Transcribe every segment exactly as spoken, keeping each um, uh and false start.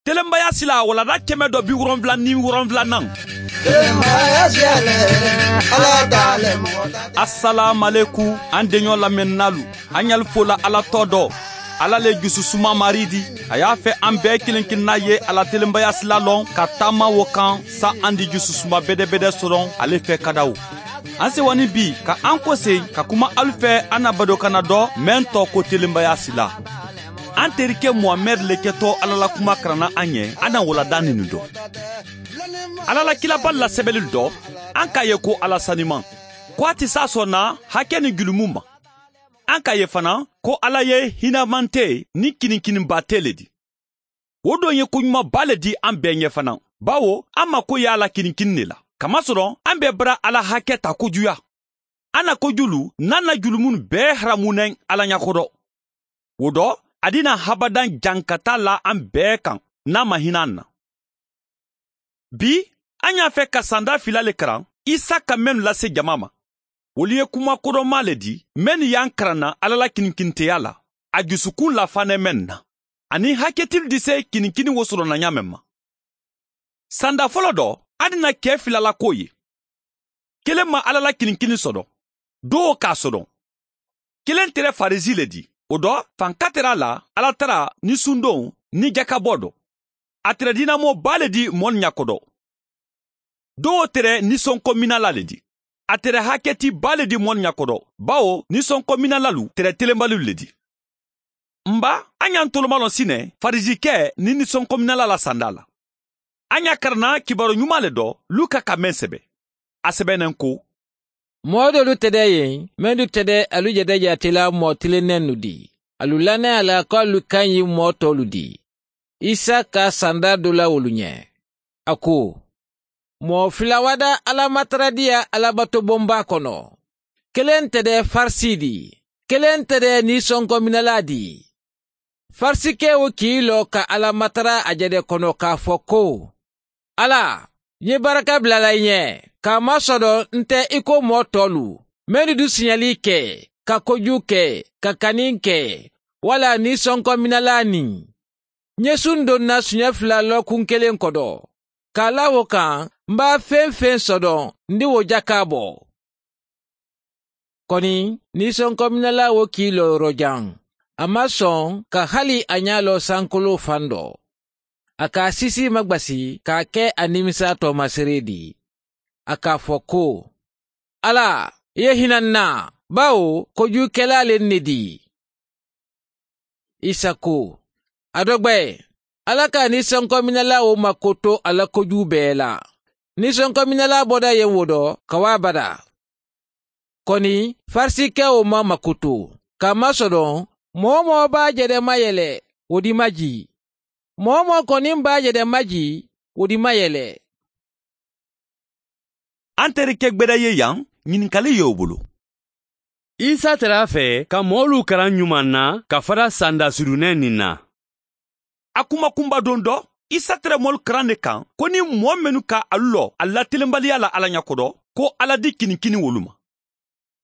Telenbaya sila walanda kɛmɛ dɔ bi wolonwula ni wolonwulanan. Asalaamualeku, an deɲɔ lamɛnninaalu, an ɲali fola Ala tɔɔ dɔ. Ala le jususuma Mari di. A y'a fɛ an bɛɛ kelen kelenna ye a la telenbaya sila lɔn ka taama wo kan, sa an di jususuma bedebede sɔrɔ ale fɛ kadaw. An sewa ni bi ka an kosegin ka kuma alu fɛ an na badokanna dɔ, meŋ tɔɔ ko telenbaya sila. An terike Muhamɛdi le kɛtɔ Ala la kuma karanna an ye, an na walanda ninnu dɔn. Ala la kilaba lasɛbɛli dɔ, an k'a ye ko Ala saniman, ko a tɛ sa sɔn na hakɛ ni julumu ma. An k'a ye fana ko Ala ye hinɛmante ni kinikininbaate le di. Wo don ye koɲumanba le di an bɛɛ ɲɛ fana, bawo an mako ye a la kinikini de la, kamasɔrɔ an bɛ bara Ala hakɛ ta kojuya. An na kojulu n'an na julumunu bɛɛ haramunɛ Ala ɲɛ kɔrɔ. Wo dɔ, a di na habadan jankata la an bɛɛ kan, n'a ma hinɛ an na. Bi, an y'a fɛ ka sanda fila le karan, Isaka mennu lase jama ma. Wolu ye kuma kodɔnma le di, mennu y'an karan na Ala la kinikiniteya la, a jusukun lafaanɛ mennu na, ani haketili dise kinikini wo sɔrɔ na ɲaamen ma. Sanda fɔlɔ dɔ, a di na kɛ filala ko ye. Kelen ma Ala la kinikini sɔdɔn, dowo k'a sɔdɔn. Kelen tere Farisi le di, o dɔ, fanka tere a la, Ala tara ni sundon ni jakabɔ dɔ. A tere diinamɔba le di moolu ɲakodɔ. Dowo tere nisɔnkɔminala le di. A tere haketiba le di moolu ɲakodɔ, bawo nisɔnkɔminalalu tere telenbalilu le di. N ba, a ɲa n tolomalɔn sinɛ farisikɛ ni nisɔnkɔminala la sanda la. A ɲa karanna kibaru ɲuman le dɔ, Luka ka meŋ sɛbe. A sɛbɛnen ko: Moo doolu tede ye, mennu tede alu jede jaatela moo tilennennu di. Alu lannaya la ko alu kaŋ yi moo toolu di. Isa ka sanda do la wolu ɲe. A ko: Moo fila wada alamataradiya alabatobonba kono. Kelen tede farisi di, kelen tede nisɔnkɔminala di. Farisikeo k'i lo ka Ala matara a jede kono k'a fo ko: Ala, n ye baraka bilala i ɲɛ, k'a masɔdɔn n tɛ i ko moo tɔlu, mennu du siɲɛli ke, ka koju ke, ka kani ke, wala nisɔnkɔminala ni. N ye sun donna siɲɛ fila lɔkun kelen kodo. K'a la wo kan, n b'a feŋ feŋ sɔdɔn, n di wo jakaabɔ. Koni, nisɔnkɔminala wo k'i lo yɔrɔjan. A ma sɔn ka hali a ɲa lo sankoloo fan do. A k'a sisi magbasi k'a ke a nimisa toomasere di. A k'a fo ko: Ala, i ye hinɛ n na, bawo kojukela le n ne di. Isa ko: A dogbe, Ala ka nisɔnkɔminala wo makoto a la koju bee la. Nisɔnkɔminala boda ye wo do ka wo a bada. Koni, farisikeo ma makoto, ka a masɔdɔn, moo-wo-moo b'a jede mayele, wo di maji. Moo-wo-moo koni b'a jede maji, wo di mayele. An terike gbeda ye yan, ɲininkali ye wo bolo. Isa tara a fe ka moolu karan ɲuman na ka fara sanda sudunen nin na. A kuma kunbadon do, Isa tara moolu karan ne kan, ko ni moo mennu ka alu lo alu la telenbaliya la Ala ɲakodo, ko Ala di kinikini wolu ma.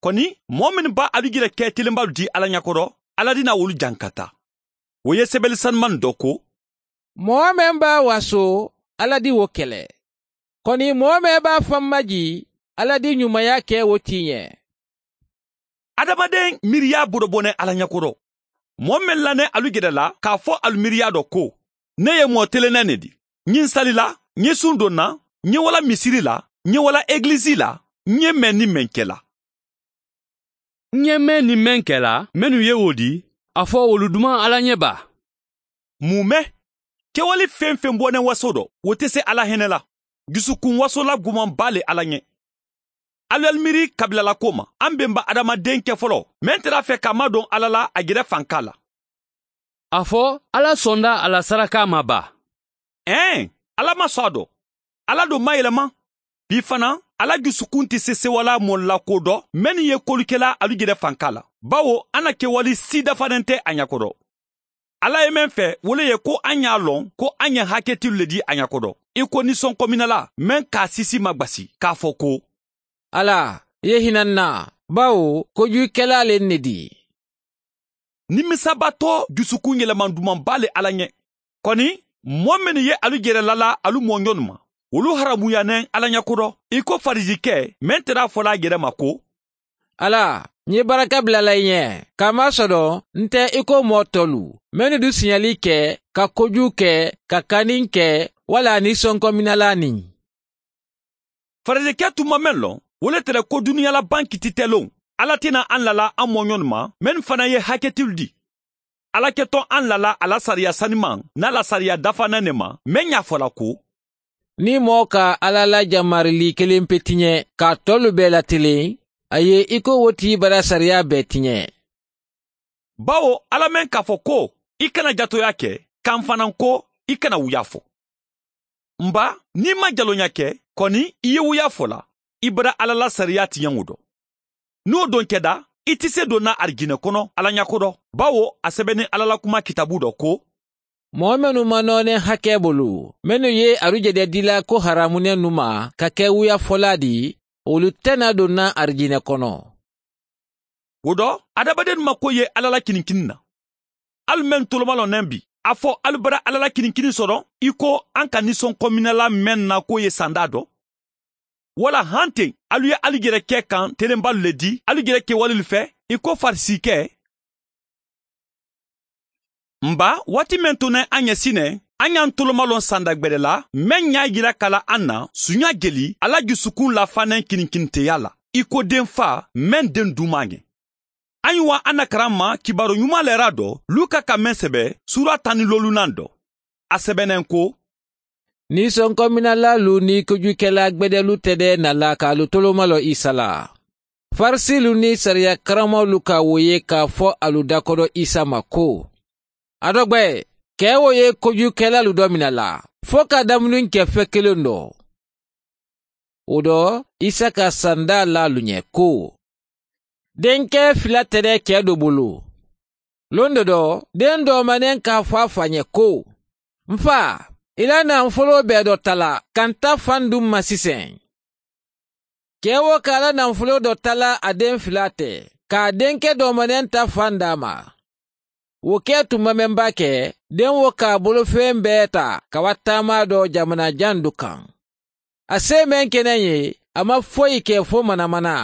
Koni, moo mennu ba alu jere ke telenbalu di Ala ɲakodo, Ala di na wolu jankata. Wo ye sebeli sanuman do ko: Moo men b'a waso, Ala di wo kele. Koni, moo men b'a fan maji, Ala di ɲumaya ke wo ti ɲe. Adamaden miiriya bodobone Ala ɲakodo. Moo men lane alu jede la k'a fo alu miiriya do ko: Ne ye moo telennen ne di. Ɲin salila, ɲin sun donna, ɲin wala misiri la, ɲin wala egilisi la, ɲin men ni men kela. N ye meŋ ni meŋ kela mennu ye wo di, a fo wolu duman Ala ɲe ba? Mun me? Kewali feŋ-feŋ bonen waso do, wo te se Ala hene la. Jusukun wasola gumanba le Ala ɲe. Alu alu miiri kabilalako ma, an benba adamaden kefolo, meŋ tara a fe ka a madon Ala la a jere fanka la. A fo Ala sonda a la saraka ma ba? Ee, Ala ma son a do. Ala do mayelema. Bi fana, Ala jusukun te sesewala moolu la ko do, mennu ye kolu kela alu jere fanka la, bawo a na kewali si dafanen te a ɲakodo. Ala ye meŋ fe, wo le ye ko an ye a lon ko an ye haketilu le di a ɲakodo, i ko nisɔnkominala meŋ k'a sisi magbasi k'a fo ko: Ala, i ye hina n na, bawo kojukela le n ne di. Nimisa bato jusukun yeleman dumanba le Ala ɲe. Koni, Moo mennu ye alu jere lala alu mooɲonnu ma, wolu haramuyaana ì alla ɲa kodo, ì ko farisikee meŋ tara a fola a jere ma ko, ala, ǹ ye baraka bula la ì ɲee, kaamaa sodoŋ nte ì ko moo toolu mennu du siɲali ke, ka kojuu ke, ka kaniŋ ke, walla a nisonkominalaa niŋ. Farisikee tun maŋ meŋ loŋ, wo le te le ko duniyaa la baŋ kititeloŋ, alla ti naa aŋ lala a mooɲonnu ma mennu fanaa ye haketilu dii. Alla ke to aŋ lala a la sariya sanimaŋ niŋ a la sariya dafaanaŋ ne ma, meŋ ye a fo la ko, niŋ moo ka alla la jamarili kelempe tiɲe ka a toolu bee lateleŋ, a ye ì ko wo ti bara sariyaa bee tiɲe. Bawo alla meŋ ka a fo ko, ì kana jatooyaa ke, ka m̀ fanaa ko, ì kana wuyaa fo. M̀ baa, niŋ ì maŋ jalooɲaa ke, koni ì ye wuyaa fo la, ì bara alla la sariyaa tiɲeŋo do. Niŋ wo doŋ keda, ì ti seedoo naa arijinee kono alla ɲa kodo, bawo a sebeneŋ alla la kumaa kitaaboo do ko, moo mennu maŋ nooneŋ hakee bulu, mennu ye arijinee dii la ko haraamunennu ma ka ke wuyaafolaa ti, wolu te naa doŋ naa arijinee kono. Wo do, adamadenu ma ko ye alla la kiniŋ kiniŋ na. Ali meŋ tolomaloo neŋ bi, a fo ali bara alla la kiniŋ kiniŋ soto ì ko aŋ ka nisonkominalaa meŋ na ko ye sandaa do? Walla hanteŋ ali ye ali jere ke kaŋ telenbaalu le dii ali jere kewalelu fee, ì ko farisikee? M̀ baa, waati meŋ to ne aŋ ye sineŋ, aŋ ye aŋ tolomaloo sanda gbede la meŋ ɲaa yira ka la aŋ na suuɲaa jeli a la jusukuŋ laafaanaŋ kininkiniteyaa la, ì ko deŋ faa meŋ deŋ duumaa ŋe. Aŋ ye wa aŋ na karaŋ ma kibaaru ɲumaa leeraa do luka ka meŋ sebe, suuraa taŋ ni loolunaŋ do. A sebeneŋ ko, niisonkominalaalu niŋ kojuukelaa gbedelu te de na la ka alu tolomaloo isa la. Farisiilu niŋ sariya karammoolu ka wo ye ka a fo alu dakodo isa ma ko, a dogbe, ke wo ye kojuukelaalu do mina la, fo ka damuni ke fe kiliŋ do? Wo do, isa ka sandaa la alu ɲe ko, denkee fila te de kee do bulu. Londo do, deŋ doomaneŋ ka a fo a faa ɲe ko, m faa, i la naŋ foloo bee do tala ka nta fanduŋ ma siseŋ. Kee wo ka a la naŋ foloo do tala a deŋ fila te, ka a denke doomaneŋ ta fandaa ma. Wo ke tuma meŋ baa ke, deŋ wo ka a bolofeŋ bee taa ka wa taamaa do jamanaa jaŋ du kaŋ. A see meŋ ke naŋ ye, a maŋ foyi ke fo manamana.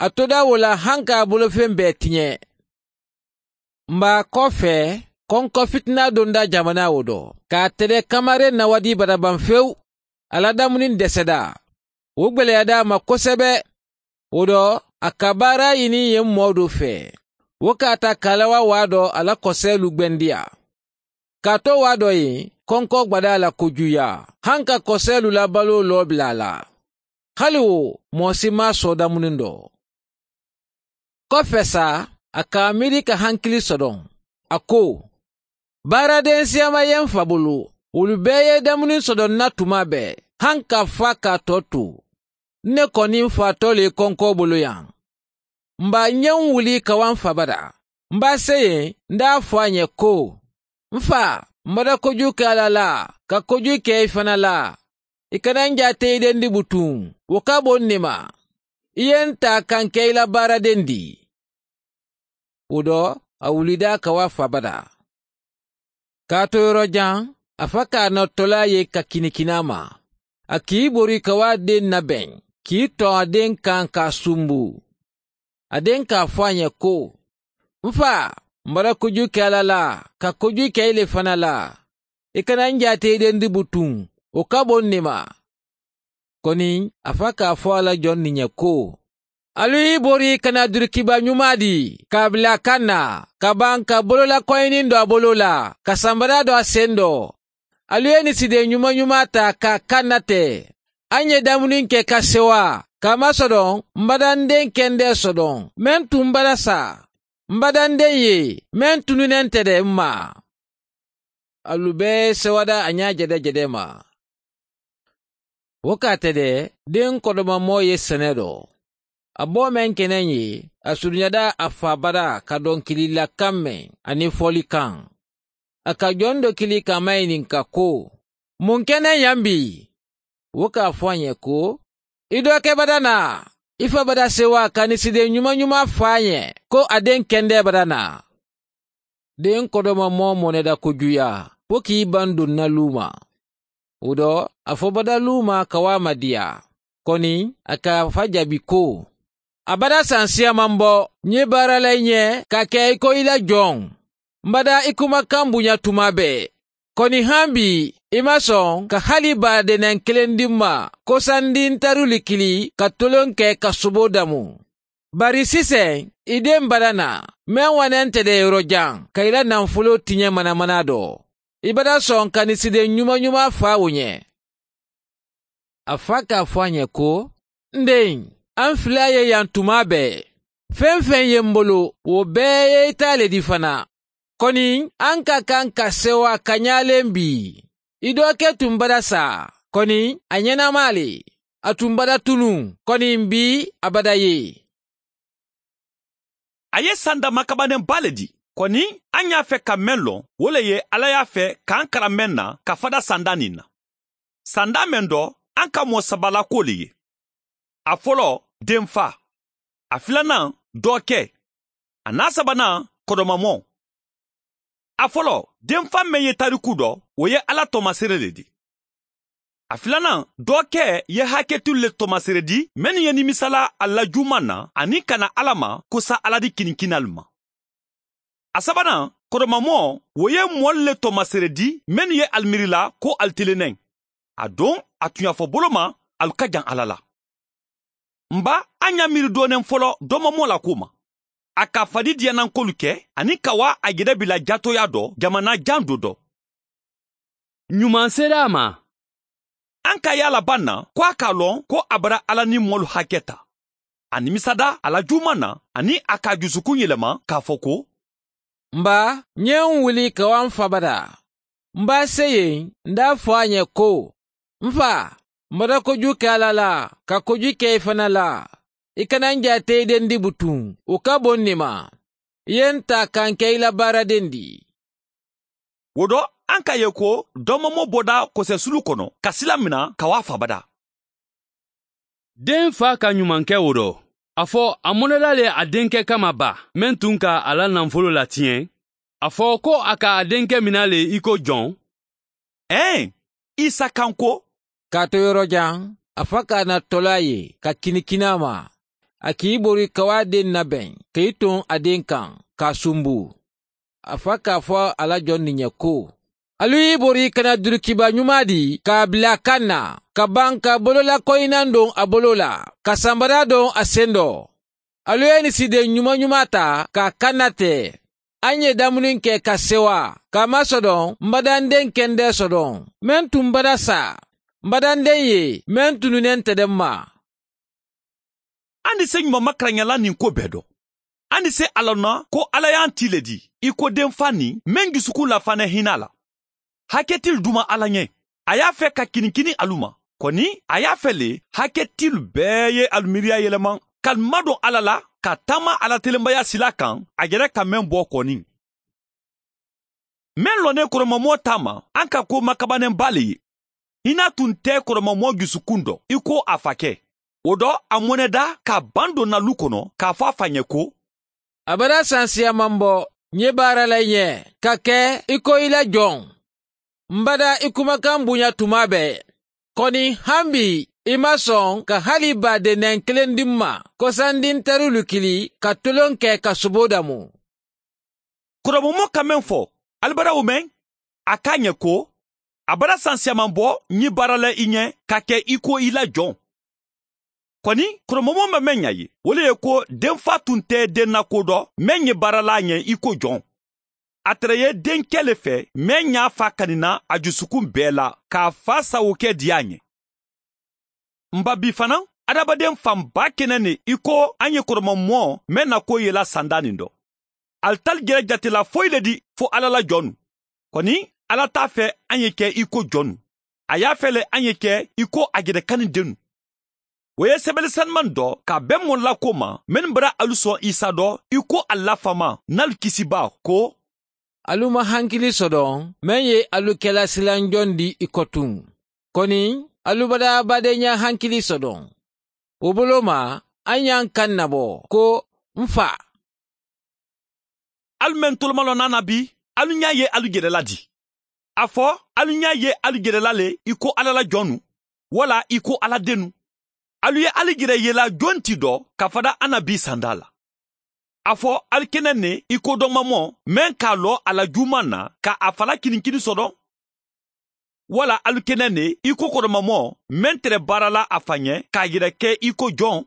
A todaa wo la haŋ ka a bolofeŋ bee tiɲe. M baa, koo fee, konko fitinaa donda jamanaa wo do ka a tede kamareŋ na wadii bata baŋ fewu. A la damuniŋ deseda. Wo gbeleyaada a ma kosebe. Wo do, a ka baaraa yini yen moo doo fee. Wo ka a taa kaalawa waa do a la koseelu gbendiyaa. Kaatu waa doo yen, konko gbadaa la kojuuyaa, haŋ ka koseelu la baluwo loo bila a la. Hali wo, moo si maŋ a soo damuniŋ do. Ko fesa, a ka a miiri ka hankili sodoŋ. A ko, baaradensiyaama ye m fa bulu. Wolu bee ye damuniŋ sodoŋ n na tumaa bee, haŋ ka a faa ka a too tu. N ne koni m faatoo le ye konkoo boloyaŋ. M baa, ǹ ye m wuli ka wa m fa bata. M baa seyeŋ, n daa fo a ɲe ko, m faa, m bata kojuu ke a la la, ka kojuu ke i fanaa la. I kana n jaate i dendi butuŋ. Wo ka bo n ne ma. I ye n taa ka n ke i la baaradendi. Wo do, a wulida ka wa a fa bata. Ka a to yoro jaŋ, a fa ka a nottolaa ye ka kinikini a ma. A kii bori ka wa a deŋ nabeŋ, kii toŋ a deŋ kaŋ ka a sumbu. A deŋ ka a fo a ɲe ko, m faa, m bata kojuu ke a la la, ka kojuu ke i le fanaa la. I kana n jaate i dendi butuŋ. Wo ka bo n ne ma. Koni, a fa ka a fo a la joŋ ni ɲe ko, alu i bori ka naa durikiba ɲumaa dii ka a bila a kaŋ na, ka baŋ ka boloola koyiniŋ do a boloo la, ka sanbadaa do a sendo. Alu ye nisideŋ ɲuma-ɲumaa taa ka a kaŋ na te. A ŋ ye damuniŋ ke ka sewa, kaamaa sodoŋ, m bata n deŋ kendee sodoŋ meŋ tun bata saa. M bata n deŋ ye, meŋ tunune nte de m ma. Alu bee ye sewada a ɲaa jede-jede ma. Wo ka a te de, deŋ kodoma moo ye sene do. A boo meŋ ke neŋ ye, a suruɲada a faa bata ka donkili la kaŋ meŋ, aniŋ fooli kaŋ. A ka joŋ do kili ka a mayininka ko, muŋ ke neŋ yaŋ bii? Wo ka a fo a ɲe ko, i doo ke bata naa. I fa bata sewa ka nisideŋ ɲuma-ɲuma fo a ɲe ko a deŋ kendee bata naa. Deŋ kodoma moo moo neda kojuuyaa. pokii bandun na luuma. Wudo a fo bada luuma ka waa madiya. Koni a ka a fa jabi ko a bada sansiya man bo nye baaralay nye ka ke i ko i la jon. Mbada i kuma kambu nya tuma be. Koni hambi i mason ka hali baade nan kelendin ma kosandin taruli kili ka tolonke ka subo damu. Bari sisen i den bada na men wanente de yorojan ka i la nan folo tiɲɛ manamana do. I bada son ka ni siden ɲumaɲuma fa wo ɲɛ. A fa ka fo a ɲɛ ko, n den, an fila ye yan tuma bɛɛ. Fɛn-fɛn ye n bolo wo bɛɛ ye i ta le di fana. Koni an ka kan ka sewa ka ɲalen bi. I dɔ ke tun bada sa. Koni a ɲɛnama le. A tun bada tunun. Koni n bi a bada ye. A ye sanda makabanenba le di. Koni an y'a fɛ ka men lɔn wo le ye ala y'a fɛ k'an kara men na ka fada sanda nin na. Sanda men dɔ an ka mɔɔ saba la ko le ye. A fɔlɔ, denfa. A filanan, dɔɔkɛ. A n'a sabanan, kɔdɔmamɔ. A fɔlɔ, denfa men ye tariku dɔ, o ye ala tɔmasere le di. A filanan, dɔɔkɛ ye haketilu le tɔmasere di mennu ye nimisala a la juman na ani ka na ala ma kosa ala di kinikinalu ma. A sabanan, kɔdɔmamɔ, wo ye mɔlu le tɔmasere di mennu ye ali miirila ko ali telenɛn. A don, a tun y'a fɔ bolo ma, alu ka jan ala la. N ba, an y'a miiri doonen fɔlɔ dɔmɔmɔ la ko ma. A ka fadi diyanankolu kɛ ani ka waa a yɛrɛ bila jatoya dɔ jamana jan do dɔ. Ɲuman sera a ma. An ka yaala ban na ko a k'a lɔn ko a bara ala ni mɔlu hakɛ ta. A nimisada a la juman na ani a k'a jusukun yɛlɛma k'a fɔ ko, n ba, n ye n wuli ka waa n fa bada. N b'a se yen, n d'a fɔ a ɲɛ ko, n fa, n bada koju kɛ ala la ka koju kɛ i fana la. I kana n jaate i den di butun, o ka bon ne ma. I ye n ta ka n kɛ i la baaraden di. Wo dɔ, an ka ye ko dɔmɔmɔ bɔda kosɛsulu kɔnɔ ka sila mina ka waa fa bada. Den fa ka ɲumankɛ wo dɔ, a fɔ a mɔnɛda le a denkɛ kama ba, men tun ka a la nanfolo latiɲɛ. A fɔ ko a ka a denkɛ mina le i ko jɔn? Ɛɛ, isa kan ko, k'a to yɔrɔjan, a fa k'a na tɔla ye ka kinikini a ma. A k'i bori ka waa den nabɛn ka i ton a den kan k'a sunbu. A fa k'a fɔ a la jɔn nin ye ko, alu y'i bori ka na durukiba ɲuman di k'a bila a kan na, ka ban ka bololakoyinan don a bolo la, ka sanbada don a sen dɔ. Alu ye nin siden ɲuman-ɲuman ta k'a kannatɛ. An ye damuni kɛ ka sewa k'a masɔdɔn n badanden kɛndɛ sɔdɔn, men tun bada sa, n badanden ye, men tununnen tɛ dɛ ma. An ni se ɲuman makaraɲala nin ko bɛɛ dɔn. An ni se a lɔnna ko ala y'an ti le di i ko denfa nin men jusukun lafanɛ hinɛ la. Hakɛtil duma ala ɲɛ. A y'a fɛ ka kinikini alu ma. Kɔni, a y'a fɛ le hakɛtil bɛɛ ye alu miiriya yɛlɛma ka madon ala la, ka taama ala telenbaya sila kan a yɛrɛ ka mɛn bɔ kɔni. Men lɔnnen kɔrɔmamɔɔ ta ma, an ka ko makabanenba le ye. Hinɛ tun tɛ kɔrɔmamɔɔ jusukun dɔ i ko a fakɛ. O dɔ, a mɔnɛda k'a ban donna lu kɔnɔ k'a fɔ a fa ɲɛ ko, a bada sansiya man bɔ n ye baara la i ɲɛ ka kɛ i ko i la jɔn. N bada i kumakan bonya tuma bɛɛ. Kɔni, han bi, i ma sɔn ka hali baadenɛn kelen di n ma kosandi n tɛrilu kili ka tolon kɛ ka sobo damu. Kɔrɔbɔmɔ ka mɛn fɔ, ali bada wo mɛn? A k'a ɲɛ ko, a bada sansiyaman bɔ n ye baara la i ɲɛ ka kɛ i ko i la jɔn. Kɔni, kɔrɔbɔmɔ ma mɛn ɲa ye, wo le ye ko denfa tun tɛ den na ko dɔ mɛn ye baara la a ɲɛ i ko jɔn. A tɛrɛ ye denkɛ le fɛ mɛn y'a fa kanina a jusukun bɛɛ la k'a fa sawokɛ di a ɲɛ. N ba, bi fana, adamaden fanba kɛnɛ ne i ko an ye kɔrɔmamɔ mɛn na ko yela sanda nin dɔ. Ali tali jɛrɛ jatela foyi le di fo ala la jɔnnu. Kɔni, ala t'a fɛ an ye kɛ i ko jɔnnu. A y'a fɛ le an ye kɛ i ko a jɛrɛ kanni dennu. Wo ye sɛbɛli saniman dɔ ka bɛn mɔlila ko ma mennu bara alu sɔn isa dɔ i ko a lafama n'alu kisibaa ko, alu ma hankili sɔdɔn men ye alu kɛla silanjɔn di i kɔtun. Kɔni, alu bada badeɲa hankili sɔdɔn. Wo bolo ma, an y'an kan nabɔ ko, n fa. Alu men tolomalɔn na na bi, alu ɲa ye alu jɛrɛ la di. A fo alu ña ye alu jere la le i ko alla la jonnu, walla i ko alla dennu. Alu ye alu jere yela jonti do ka fada annabi sanda la. A fo alu kene ne i ko domamo men ka lo a la juman na ka a fala kininkini sodo. Walla alu kene ne i ko kodomamo men tere baara la a fa ñe ka jere ke i ko jon.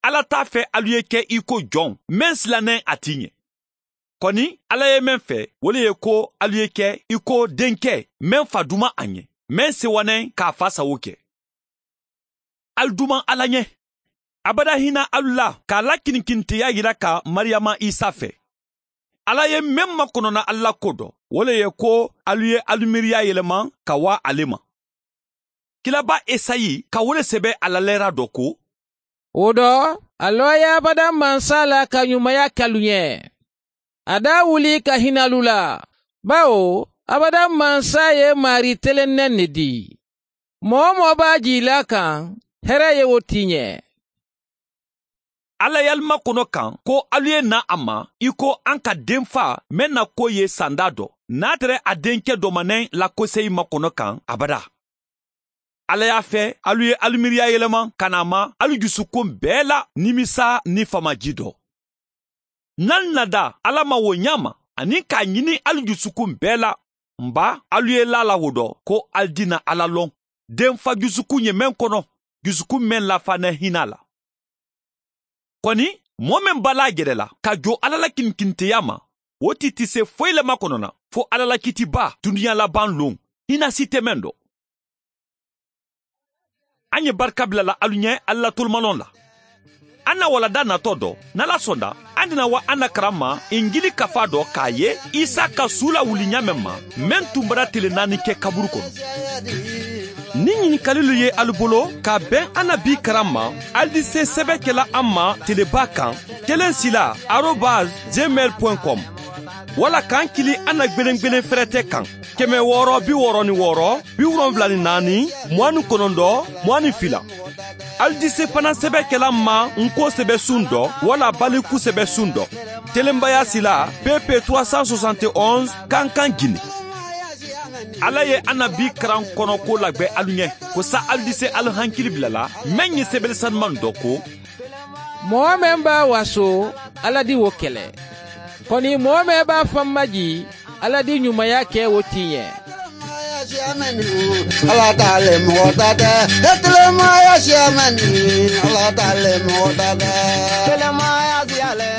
Alla ta fe alu ye ke i ko jon men silanen a ti ñe. Koni alla ye men fe wo le ye ko alu ye ke i ko denke men fa duman a ñe, men sewanen ka a fa sawo ke. Alu duman alla ñe. Abada hina alu la ka a la kinikiniteya yira ka mariyama isa fe. Alla ye men makonona alu la ko do wo le ye ko alu ye alu miiriya yeleman ka waa ale ma. Kilaba esayi ka wo le sebe a la leera do ko, wo do, a looya abada mansa la ka ñumaya ke alu ñe. A da wuli ka hina alu la, bawo abada mansa ye maari telennen ne di. Moo-wo-moo be a jii la a kaŋ, here ye wo ti i ñe. Alla ye alu makono kaŋ ko alu ye naa a ma i ko a ka denfa meŋ na ko ye sanda do, niŋ a tara a denke domaneŋ lakoseyi makono kaŋ abada. Alla ye a fe alu ye alu miiriya yelema ka naa ma alu jusukun bee la nimisa niŋ famaji do. Niŋ alu na daa alla ma wo ñaama aniŋ ka a ñini alu jusukun bee la, m̀ baa alu ye laa la wo do ko alu dina alla loŋ, denfa jusukun ye meŋ kono, jusukun meŋ lafa ne hina la. Koni, moo meŋ be a la a jere la ka jo alla la kinikiniteya ma, wo ti ti se foyi le makono na fo alla la kiitibaa duniya labaŋ loŋ, hina si te meŋ do. A ñe barika bila la alu ñe alu la tolumaloŋ la. A na wala da nato do, niŋ alla sonda a dina wa a na karamma injili kafa do ka a ye isa ka suu la wuli ñaameŋ ma, meŋ tumbara tele naani ke kaburu kono. Niŋ ñinikalilu ye alu bolo ka a beŋ a na bii karamma, alu di se sebe kela a ma telebaa kaŋ, kelen sila arobas gmail point com, walla kaŋ kili a na gbelengbelen ferete kaŋ, keme wooro bi wooro ni wooro, bi wolonwula ni naani, muwaani konondo, muwaani fila. Alu di se fanaŋ sebe kela a ma n ko sebe sundo walla baliku sebe sundo, telenbaya sila, pp trois cent soixante et onze, kankan gine. Alla ye a na bii karan kono ko lagbe alu ñe, ko sa alu di se alu hankili bila la meŋ ye sebele sanumaŋ do ko, moo meŋ be a waso, alla di wo kele. Koni moo meŋ be a faŋ maji, alla di ñumaya ke wo ti i ñe. Alla ta le moxo ta te. Telemaya siya meŋ ni, alla ta le moxo ta te. Telemaya siya le.